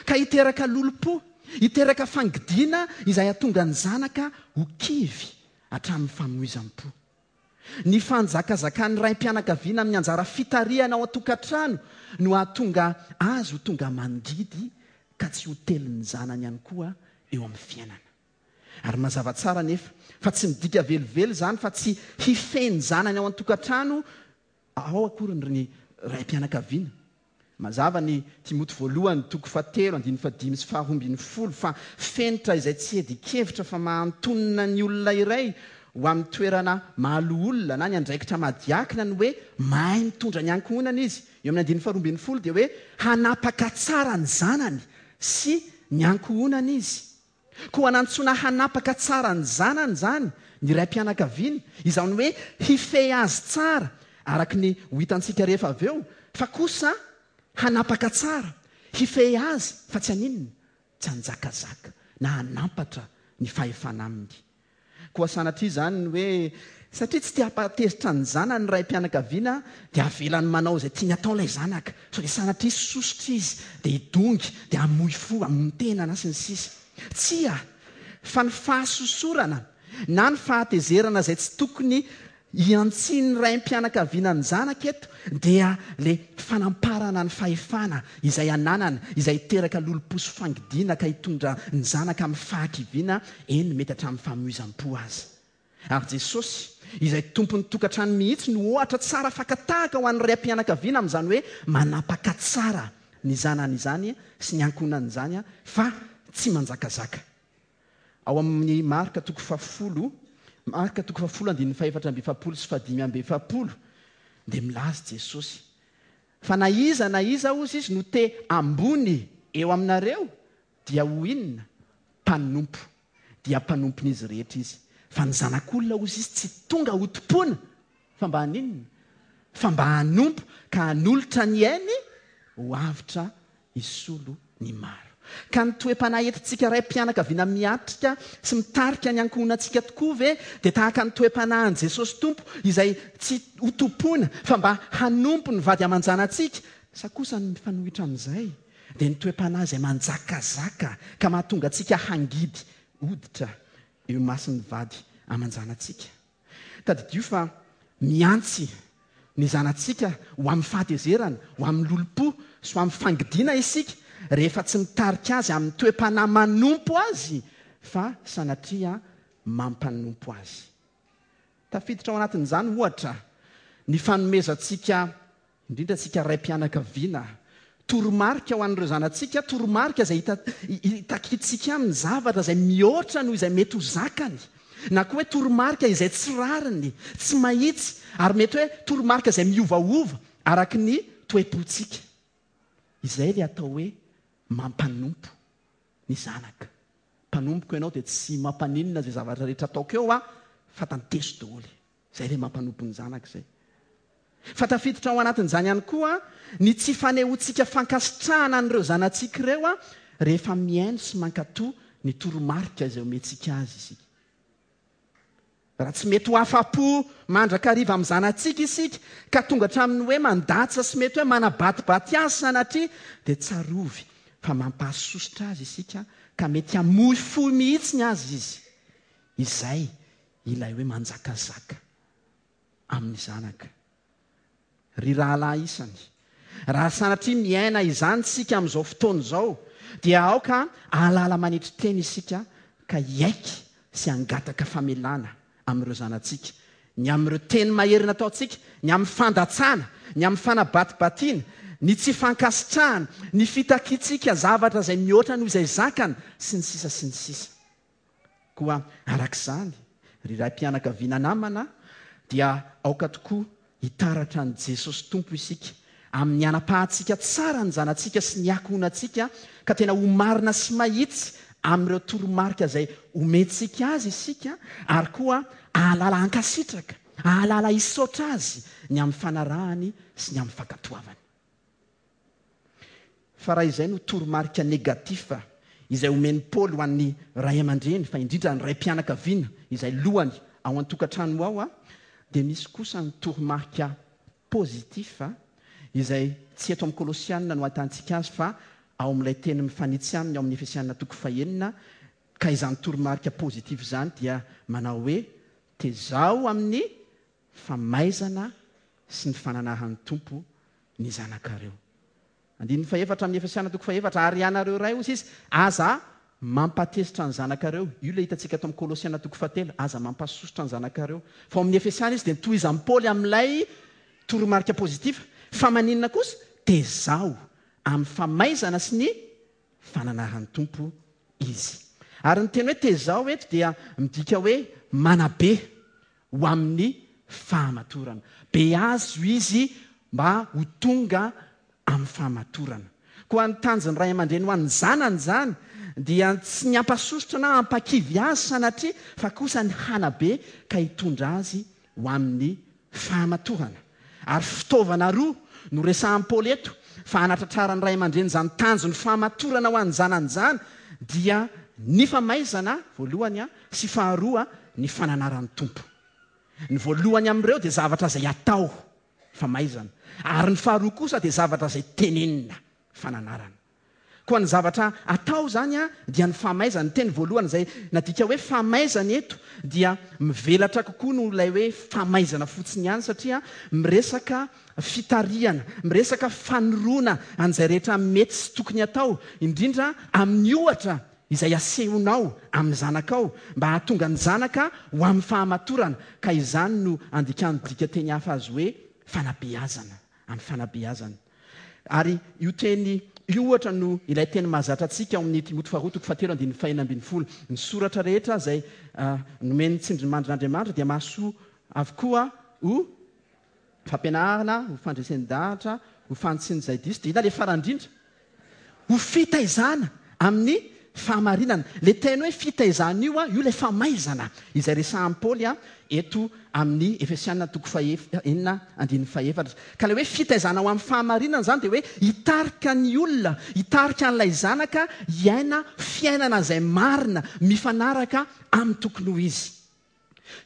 [SPEAKER 1] ka hiteraka lolompo, hiteraka fangidiana izay hahatonga ny zanaka ho kivy hatramin'ny famoizam-po. Ny fanjakazakan'ny raim-pianakaviana amin'ny anjara fitarihana ao an-tokantrano no hahatonga azy ho tonga mangidy ka tsy ho telin'ny zanany ihany koa eo amin'ny fiainana. Ary mazava tsara anefa fa tsy midika velively izany fa tsy hifehy ny zanany ao an-tokantrano ao akory ny raim-pianakaviana. Mazava ny Timoty voalohany toko fahatelo andininy fahadimy sy faharoa ambinifolo fa fenitra izay tsy hiadian-kevitra fa maha-antonona ny olona iray ho amin'ny toerana maha-loholona na ny andraikitra maha-diakina ny hoe mahay mitondra ny ankohonana izy. Eo amin'ny andininy faharoa ambinifolo dia hoe hanapaka tsara ny zanany sy ny ankohonany izy. Koa nantsoina hanapaka tsara ny zanany izany ny raim-pianakaviana, izany hoe hifehy azy tsara, araka ny ho hitantsika rehefa avy eo, fa kosa hanapaka tsara, hifehy azy fa tsy haninona? Tsy hanjakazaka na hanampatra ny fahefana aminy. Koa sanatria izany ny hoe satria tsy te hampahatezitra ny zanany ny raim-pianakaviana dia avelany manao izay tiany atao ilay zanaka, sao dia sanatria sosotra izy dia hidongy, dia hamoy fo, hamono tena na sy ny sisa. Tsia! Fa ny fahasosorana na ny fahatezerana izay tsy tokony Iantsian'ny raim-pianakaviana ny zanaka eto dia le fanamparana ny fahefana izay ananana, izay hiteraka lolompo sy fangidiana ka hitondra ny zanaka amin'ny fahakiviana, eny mety hatramin'ny famoizam-po aza. Ary Jesosy, izay tompon'ny tokantrano mihitsy no ohatra tsara faka-tahaka ho an'ny raim-pianakaviana amin'izany hoe manapaka tsara ny zanany izany sy ny ankohonany izany fa tsy manjakazaka. Ao amin'ny Marka toko fahafolo, Marka toko fahafolo andininy fahefatra amby efapolo sy fahadimy amby efapolo, dia milaza Jesosy fa na iza na iza hozy izy no te ambony eo aminareo dia ho inona? Mpanompo. Dia mpanompon'izy rehetra izy. Fa ny Zanak'olona hozy izy tsy tonga hotompoina fa mba haninona? Fa mba hanompo ka hanolotra ny ainy ho avotra hisolo ny maro. Ka ny toe-panahy entintsika raim-pianakaviana miatrika sy mitarika ny ankohonantsika tokoa ve dia tahaka ny toe-panahin'i Jesosy Tompo izay tsy hotompoina fa mba hanompo ny vady aman-janatsika? Sa kosa ny mifanohitra amin'izay dia ny toe-panahy izay manjakazaka ka mahatonga antsika hangidy hoditra eo imason'ny vady aman-janatsika? Tadidio fa mihantsy ny zanatsika ho amin'ny fahatezerana, ho amin'ny lolompo sy ho amin'ny fangidiana isika rehefa tsy mitarika azy amin'ny toe-panahy manompo azy fa sanatria mampanompo azy. Tafiditra ao anatin'izany, ohatra, ny fanomezantsika indrindra antsika raim-pianakaviana, toromarika ho an'ireo zanatsika, toromarika izay hita, hitakintsika aminy zavatra izay mihoatra noho izay mety ho zakany, na koa hoe toromarika izay tsy rariny, tsy mahitsy, ary mety hoe toromarika izay miovaova araka ny toe-pontsika. Izay ilay atao hoe mampanompo ny zanaka. Mpanompoko ianao dia tsy mampaninona izay zavatra rehetra ataoko eo aho fa tanteso daholo. Izay ilay mampanompo ny zanaka izay. Fa tafiditra ao anatin'izany ihany koa ny tsy fanehoantsika fankasitrahana an'ireo zanatsika ireo rehefa mihaino sy mankatò ny toromarika izay omentsika azy isika. Raha tsy mety ho afa-po mandrakariva amin'ny zanatsika isika ka tonga hatramin'ny hoe mandatsa sy mety hoe manabatibaty azy sanatria dia tsarovy fa mampahasosotra azy isika ka mety hamoy fo mihitsy aza izy. Izay ilay hoe manjakazaka amin'ny zanaka. Ry rahalahy isany, raha sanatria miaina izany isika amin'izao fotoana izao, dia aoka hahalala manetry tena isika ka hiaiky sy hangataka famelana amin'ireo zanatsika, ny amin'ireo teny mahery nataontsika, ny amin'ny fandatsana, ny amin'ny fanabatibatiana, ny tsy fankasitrahana, ny fitakiantsika zavatra izay mihoatra noho izay zakany, sy ny sisa sy ny sisa. Koa araka izany, ry raim-pianakaviana namana, dia aoka tokoa hitaratra an'i Jesosy Tompo isika amin'ny hanapahantsika tsara ny zanatsika sy ny ankohonantsika ka tena ho marina sy mahitsy amin'ireo toromarika izay omentsika azy isika ary koa hahalala hankasitraka, hahalala hisaotra azy ny amin'ny fanarahany sy ny amin'ny fankatoavany. Fa raha izay no toromarika négatif izay omen'i Paoly ho an'ny ray aman-dreny, fa indrindra ny raim-pianakaviana izay lohany ao an-tokantrano ao dia misy kosa ny toromarika positif izay tsy eto amin'ny Kolosiana no ahitantsika azy fa ao amin'ilay teny mifanitsy aminy ao amin'ny Efesiana toko fahenina ka izany toromarika positif izany dia manao hoe tezao amin'ny famaizana sy ny fananaran'ny Tompo ny zanakareo. Andininy fahefatra amin'ny Efesiana toko fahefatra, Ary ianareo ray, hoy izy, aza mampatezitra ny zanakareo. Io ilay hitantsika ato amin'ny Kolosiana toko fahatelo, aza mampasosotra ny zanakareo. Fa ao amin'ny Efesiana izy dia notohizan'i Paoly amin'ilay toromarika positif, fa maninona kosa? Tezao amin'ny famaizana sy ny fananaran'ny Tompo izy. Ary ny teny hoe tezao eto dia midika hoe manabe ho amin'ny fahamatorana. Beazo izy mba ho tonga amin'ny fahamatorana. Koa ny tanjon'ny ray aman-dreny ho an'ny zanany izany dia tsy ny hampasosotra na hampakivy azy sanatria fa kosa ny hanabe ka hitondra azy ho amin'ny fahamatorana. Ary fitaovana roa no resahan'i Paoly eto fa hanatratraran'ny ray aman-dreny izany tanjon'ny fahamatorana ho an'ny zanany izany dia ny famaizana voalohany sy faharoa ny fananaran'ny Tompo. Ny voalohany amin'ireo dia zavatra izay atao, famaizana, ary ny faharoa kosa dia zavatra izay tenenina, fananarana. Koa ny zavatra atao izany dia ny famaizana. Ny teny voalohany izay nadika hoe famaizana eto dia mivelatra kokoa noho ilay hoe famaizana fotsiny ihany satria miresaka fitarihana, miresaka fanoroana an'izay rehetra mety sy tokony atao, indrindra amin'ny ohatra izay asehonao amin'ny zanakao mba hahatonga ny zanaka ho amin'ny fahamatorana, ka izany no andikan'ny dikanteny hafa azy hoe fanabeazana, amin'ny fanabeazana. Ary io teny io ohatra no ilay teny mahazatra antsika ao amin'ny Timoty faharoa toko fahatelo andininy fahenina ambin'ny folo. Ny soratra rehetra izay nomen'ny tsindrimandrin'Andriamanitra dia mahasoa avokoa ho fampianarana, ho fandresen-dahatra, ho fanitsiana izay diso. Dia inona ilay farany indrindra? Ho fitaizana amin'ny fahamarinana. Ilay teny hoe fitaizana io, io ilay famaizana izay resahan'i Paoly eto amin'ny Efesiana toko fahenina andininy fahefatra. Ka ilay hoe fitaizana ho amin'ny fahamarinana izany dia hoe hitarika ny olona, hitarika an'ilay zanaka hiaina fiainana izay marina, mifanaraka amin'ny tokony ho izy.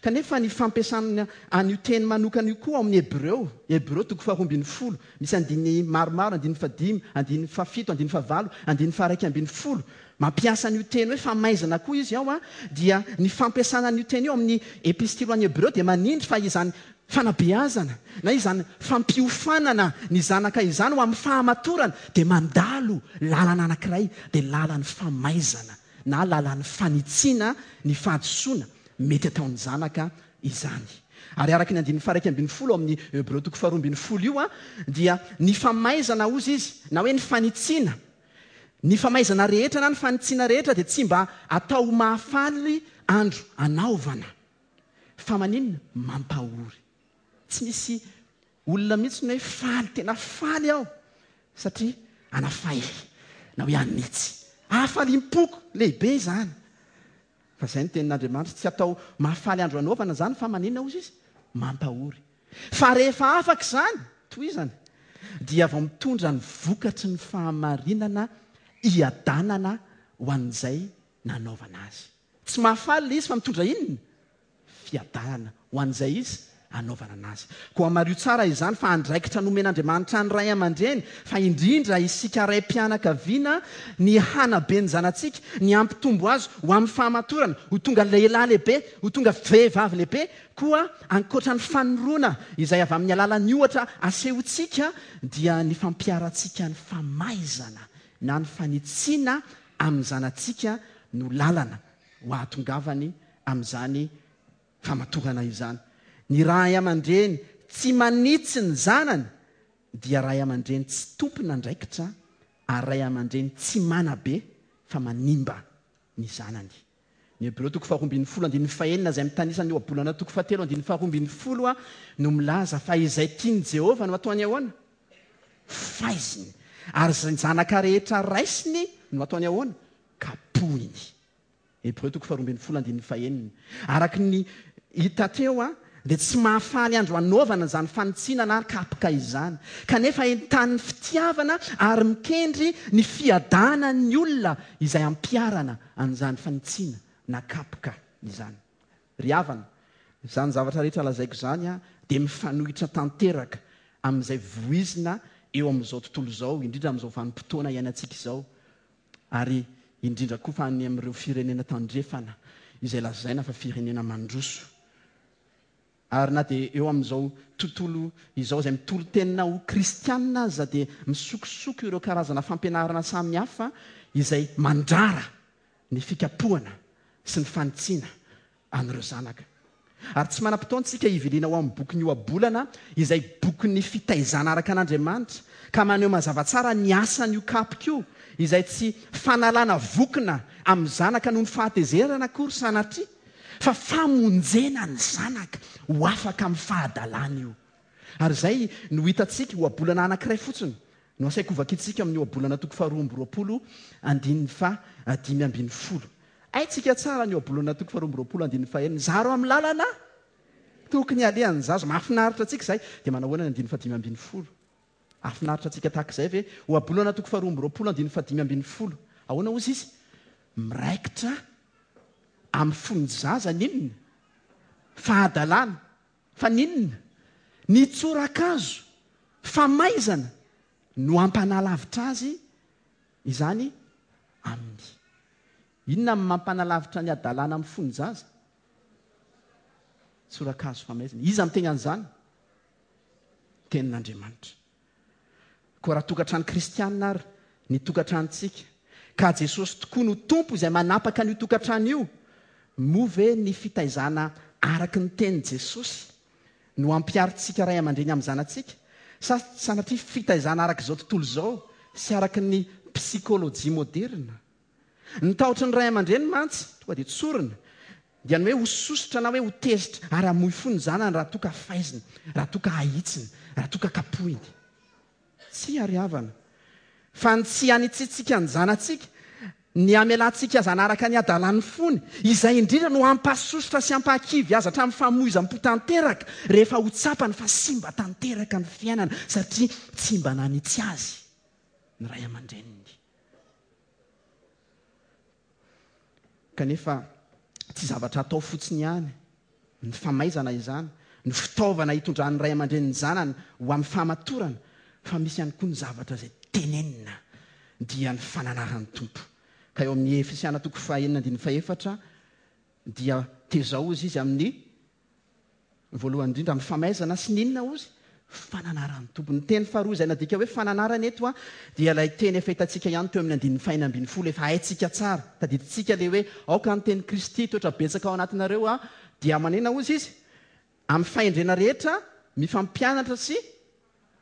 [SPEAKER 1] Kanefa ny fampiasana an'io teny manokana io koa ao amin'ny Hebreo, Hebreo toko faharoa ambin'ny folo, misy andininy maromaro, andininy fahadimy, andininy fahafito, andininy fahavalo, andininy faha-iraika ambin'ny folo, mampiasa an'io teny hoe famaizana koa izy ao, dia ny fampiasana an'io teny io amin'ny Epistily ho an'ny Hebreo dia manindry fa izany fanabeazana na izany fampiofanana ny zanaka izany ho amin'ny fahamatorana dia mandalo lalana anankiray, dia lalan'ny famaizana. na lalan'ny fanitsiana ny fahadisoana mety ataon'ny zanaka izany. Ary araka ny andininy faha-11 ao amin'ny Hebreo toko faharoa ambin'ny folo io dia ny famaizana hozy izy, na hoe ny fanitsiana, ny famaizana rehetra na ny fanitsiana rehetra dia tsy mba atao ho mahafaly andro anaovana. Fa maninona? Mampahory. Tsy misy olona mihitsy ny hoe faly, tena faly aho satria anafay na hoe hanitsy. Hafaliam-poko lehibe izany. Fa izay no tenin'Andriamanitra, tsy atao mahafaly andro anaovana izany fa maninona hozy izy? Mampahory. Fa rehefa afaka izany, tohizany, dia vao mitondra ny vokatry ny fahamarinana hiadanana ho an'izay nanaovana azy. Tsy mahafaly ilay izy fa mitondra inona? Fiadanana ho an'izay izy anaovana anazy. Koa mariho tsara izany fa andraikitra nomen'Andriamanitra ny ray aman-dreny, fa indrindra isika raim-pianakaviana ny hanabe ny zanatsika, ny hampitombo azy ho amin'ny fahamatorana, ho tonga lehilahy lehibe, ho tonga vehivavy lehibe. Koa ankoatra ny fanoroana izay avy amin'ny alalan'ny ohatra asehontsika dia ny fampiharantsika ny famaizana na ny fanitsiana amin'ny zanatsika no lalana ho ahatongavany amin'izany famatorana izany. Ny ray aman-dreny tsy manitsy ny zanany dia ray aman-dreny tsy tompon'andraikitra ary ray aman-dreny tsy manabe fa manimba ny zanany. Ny Hebreo toko faharoa ambin'ny folo andininy fahenina izay mitanisa ny ohabolana toko fahatelo andininy faharoa ambin'ny folo no milaza fa izay tian'i Jehovah no ataony ahoana? Faiziny. Ary izay zanaka rehetra raisiny no ataony ahoana? Kapohiny. Hebreo toko faharoa ambin'ny folo andininy fahenina. Araka ny hita teo dia tsy mahafaly andro anaovana izany fanitsiana na kapoka izany. Kanefa entanin'ny fitiavana ary mikendry ny fiadanan'ny olona izay ampiharana an'izany fanitsiana na kapoka izany. Ry havana, Izany zavatra rehetra lazaiko izany dia mifanohitra tanteraka amin'izay voizina eo amin'izao tontolo izao, indrindra amin'izao vanim-potoana iainantsika izao, ary indrindra koa fa any amin'ireo firenena tandrefana izay lazaina fa firenena mandroso. Ary na dia eo amin'izao tontolo izao izay mitolo-tenina ho kristiana aza dia misokosoko ireo karazana fampianarana samihafa izay mandrara ny fikapohana sy ny fanitsiana an'ireo zanaka. Ary tsy manam-potoana isika hiviliana ho amin'ny bokin'ny Ohabolana izay bokin'ny fitaizana araka an'Andriamanitra ka maneho mazava tsara ny asan'io kapoka io izay tsy fanalana vokona amin'ny zanaka noho ny fahatezerana akory sanatria fa famonjena ny zanaka ho afaka amin'ny fahadalana io. Ary izay no hitantsika, ohabolana anankiray fotsiny no asaiko hovakintsika amin'ny ohabolana toko faharoa amby 20 andininy faha 15. Haintsika tsara ny ohabolana toko faharoa amby 20 andininy fahenina, zaro amin'ny lalana tokony halehan'ny zaza. Mahafinaritra antsika izay. Dia manahoana ny andininy faha 15? Hahafinaritra antsika tahaka izay ve? Ohabolana toko faharoa amby 20 andininy faha 15. Ahoana hozy izy? Miraikitra amin'ny fon'ny zaza ny inona? Fahadalana. Fa ny inona? Ny tsorakazo famaizana no hampanalavitra azy izany aminy. Inona no mampanalavitra ny hadalana amin'ny fon'ny zaza? Tsorakazo famaizana. Iza miteny an'izany? Tenin'Andriamanitra. Koa raha tokantrano kristianina ary ny tokantranontsika, ka Jesosy tokoa no Tompo izay manapaka an'io tokantrano io, moa ve ny fitaizana araka ny tenin'i Jesosy no ampiharintsika ray aman-dreny amin'ny zanatsika, sa sanatria fitaizana araka izao tontolo izao sy araka ny psikolojia moderina? Ny tahotry ny ray aman-dreny mantsy, tonga dia tsorina, dia ny hoe ho sosotra na hoe ho tezitra ary hamoy fo ny zanany raha toa ka faizina, raha toa ka ahitsiny, raha toa ka kapohiny. Tsia ry havana, fa ny tsy hanitsiantsika ny zanatsika, ny hamelantsika azy hanaraka ny hadalan'ny fony, izay indrindra no hampasosotra sy hampahakivy azy hatramin'ny famoizam-po tanteraka rehefa ho tsapany fa simba tanteraka ny fiainana satria tsy mba nanitsy azy ny ray aman-dreniny. Kanefa tsy zavatra atao fotsiny ihany ny famaizana izany, ny fitaovana hitondran'ny ray aman-dreny ny zanany ho amin'ny fahamatorana, fa misy ihany koa ny zavatra izay tenenina, dia ny fananaran'ny Tompo. Ka eo amin'ny Efesiana toko fahenina andininy fahefatra dia tezao hozy izy amin'ny Voalohany indrindra amin'ny famaizana sy ny inona hozy? Fananaran'ny Tompo. Ny teny faharoa izay nadika hoe fananarana eto dia ilay teny efa hitantsika ihany teo amin'ny andininy fahenina 16, efa haintsika tsara. Tadidintsika ilay hoe aoka ny tenin'i Kristy hitoetra betsaka ao anatinareo dia manena hozy izy? Amin'ny fahendrena rehetra mifampianatra sy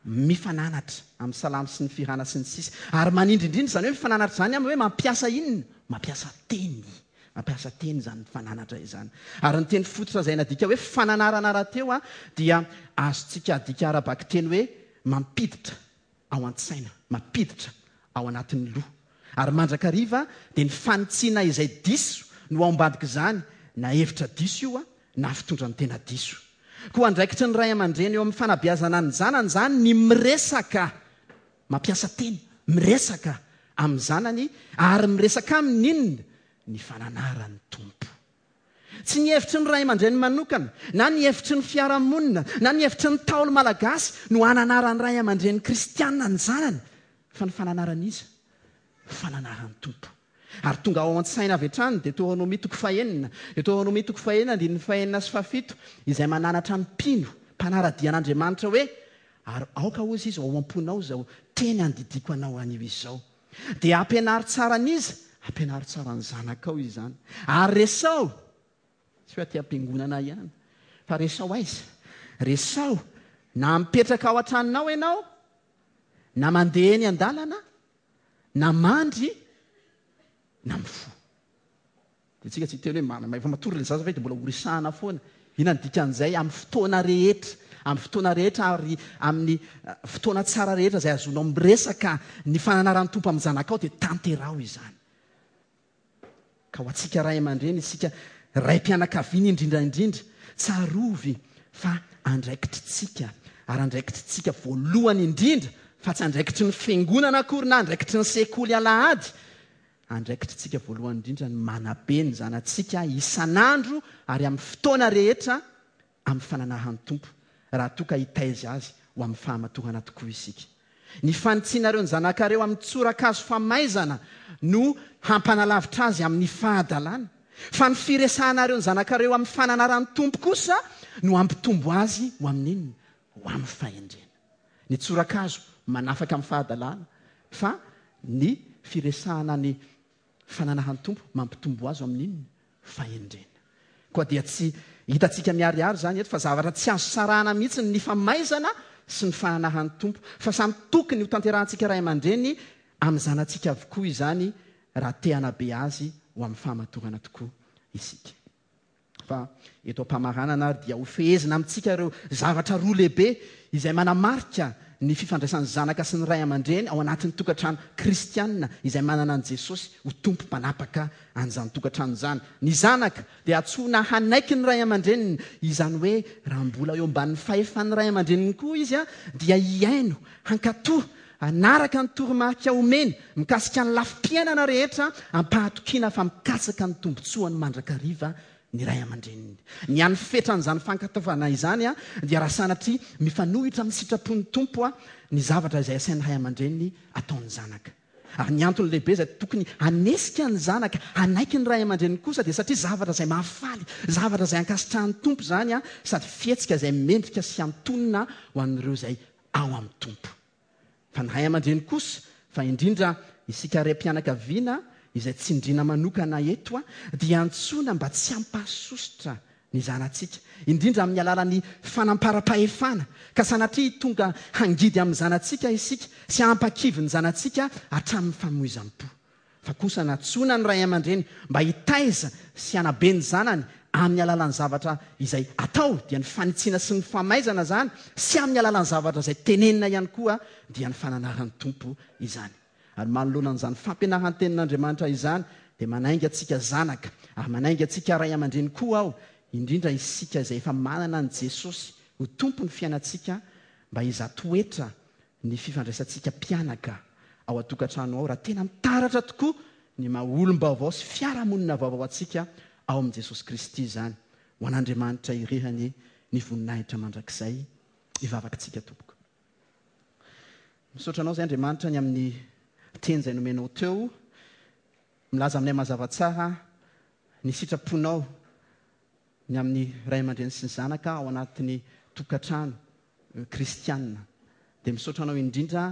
[SPEAKER 1] Mifananatra amin'ny salamo sy ny fihirana sy ny sisa Ary manindry indrindra izany hoe mifananatra izany amin'ny hoe mampiasa inona? Mampiasa teny. Mampiasa teny izany mifananatra izany. Ary ny teny fototra izay nadika hoe fananarana rahateo dia azontsika adika ara-bakiteny hoe mampiditra ao an-tsaina, mampiditra ao anatin'ny loha. Ary mandrakariva dia ny fanitsiana izay diso no ao ambadik'izany, na hevitra diso io na fitondran-tena diso. Koa andraikitry ny ray aman-dreny eo amin'ny fanabeazana ny zanany izany ny miresaka, mampiasa teny, miresaka amin'ny zanany ary miresaka aminy inona? Ny fananaran'ny Tompo. Tsy ny hevitry ny ray aman-dreny manokana, na ny hevitry ny fiarahamonina, na ny hevitry ny Ntaolo malagasy no hananaran'ny ray aman-dreny kristiana ny zanany, fa ny fananaran'iza? Fananaran'ny Tompo. Ary tonga ao an-tsaina avy hatrany Deteronomia toko fahenina, Deteronomia toko fahenina andininy fahenina sy fahafito, izay mananatra ny mpino, mpanara-dia an'Andriamanitra hoe, Ary aoka hozy izy ho ao am-ponao izao teny andidiako anao anio izao. Dia ampianaro tsara an'iza? Ampianaro tsara ny zanakao izany. Ary resaho, tsy hoe aty am-piangonana ihany, fa resaho aiza? Resaho na mipetraka ao an-tranonao ianao, na mandeha eny an-dalana, na mandry, na mifoha. Dia tsika tsy hiteny hoe ma, efa matory ilay zaza ve dia mbola ho resahana foana? Inona ny dikan'izay amin'ny fotoana rehetra, amin'ny fotoana rehetra ary amin'ny fotoana tsara rehetra izay azonao miresaka ny fananaran'ny Tompo amin'ny zanakao dia tanteraho izany. Ka ho antsika ray aman-dreny, isika raim-pianakaviana indrindra indrindra, tsarovy fa andraikitritsika ary andraikitritsika voalohany indrindra fa tsy andraikitry ny fiangonana akory na andraikitry ny sekoly alahady Andraikitritsika voalohany indrindra ny manabe ny zanatsika isan'andro ary amin'ny fotoana rehetra. amin'ny fananahan'ny Tompo, raha toa ka hitaiza azy ho amin'ny fahamatorana tokoa isika. Ny fanitsianareo ny zanakareo amin'ny tsorakazo famaizana no hampanalavitra azy amin'ny fahadalana, fa ny firesahanareo ny zanakareo amin'ny fananaran'ny Tompo kosa no hampitombo azy ho amin'ny inona? Ho amin'ny fahendrena. Ny tsorakazo manafaka amin'ny fahadalana, fa ny firesahana ny fananahan'ny Tompo mampitombo azy ho amin'ny inona? Fahendrena. Koa dia tsy hitantsika miharihary izany eto fa zavatra tsy azo sarahana mihitsy ny famaizana sy ny fananahan'ny Tompo, fa samy tokony hotanterahantsika ray aman-dreny amin'ny zanatsika avokoa izany raha te hanabe azy ho amin'ny fahamatorana tokoa isika. Fa eto am-pamaranana ary dia hofehezina amintsika ireo zavatra roa lehibe izay manamarika ny fifandraisan'ny zanaka sy ny ray aman-dreny ao anatin'ny tokantrano kristiana izay manana an'i Jesosy ho Tompo mpanapaka an'izany tokantrano izany. Ny zanaka dia antsoina hanaiky ny ray aman-dreniny, izany hoe raha mbola eo ambanin'ny fahefan'ny ray aman-dreniny koa izy dia hihaino, hankatò, hanaraka ny toromarika omeny mikasika ny lafim-piainana rehetra am-pahatokiana fa mikatsaka ny tombontsoany mandrakariva ny ray aman-dreniny. Ny hany fetran'izany fankatoavana izany dia raha sanatria mifanohitra amin'ny sitrapon'ny Tompo ny zavatra izay asain'ny ray aman-dreny ataon'ny zanaka. Ary ny antony lehibe izay tokony hanesika ny zanaka hanaiky ny ray aman-dreniny kosa dia satria zavatra izay mahafaly, zavatra izay ankasitrahan'ny Tompo izany sady fihetsika izay mendrika sy antonona ho an'ireo izay ao amin'ny Tompo. Fa ny ray aman-dreny kosa, fa indrindra isika raim-pianakaviana izay tsindriana manokana eto, dia antsoina mba tsy hampahasosotra ny zanatsika, indrindra amin'ny alalan'ny fanamparam-pahefana, ka sanatria tonga hangidy amin'ny zanatsika isika sy hampakivy ny zanatsika hatramin'ny famoizam-po. Fa kosa nantsoina ny ray aman-dreny mba hitaiza sy hanabe ny zanany amin'ny alalan'ny zavatra izay atao, dia ny fanitsiana sy ny famaizana izany, sy amin'ny alalan'ny zavatra izay tenenina ihany koa, dia ny fananaran'ny Tompo izany. Ary manoloana an'izany fampianaran-tenin'Andriamanitra izany, dia manainga antsika zanaka, ary manainga antsika ray aman-dreny koa aho, indrindra isika izay efa manana an'i Jesosy ho Tompon'ny fiainantsika, mba hizaha toetra ny fifandraisantsika mpianaka ao an-tokantrano ao raha tena mitaratra tokoa ny maha olom-baovao sy fiarahamonina vaovao antsika ao amin'i Jesosy Kristy izany. Ho an'Andriamanitra irery anie ny voninahitra mandrakizay. Hivavaka isika tompoko. Misaotra anao izay Andriamanitra ny amin'ny teny izay nomenao teo. Milaza aminay mazava tsara ny sitraponao ny amin'ny ray aman-dreny sy ny zanaka ao anatin'ny tokantrano kristiana. Dia misaotra anao indrindra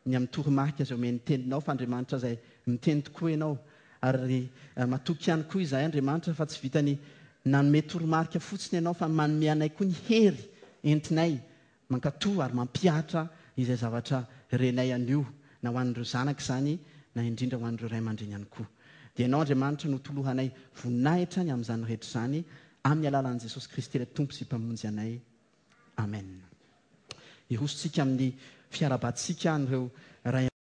[SPEAKER 1] ny amin'ny toromarika izay omen'ny teninao fa Andriamanitra izay miteny tokoa ianao. Ary matoky ihany koa izahay Andriamanitra fa tsy vitany nanome toromarika fotsiny ianao fa manome anay koa ny hery entinay Mankatò ary mampihatra izay zavatra renay anio, na ho an'ireo zanaka izany, na indrindra ho an'ireo ray aman-dreny ihany koa. Dia Ianao, Andriamanitra, no toloranay voninahitra ny amin'izany rehetra izany, amin'ny alalan'i Jesosy Kristy ilay Tompo sy Mpamonjy anay. Amen. Hirosontsika amin'ny fiarahabantsika an'ireo ray.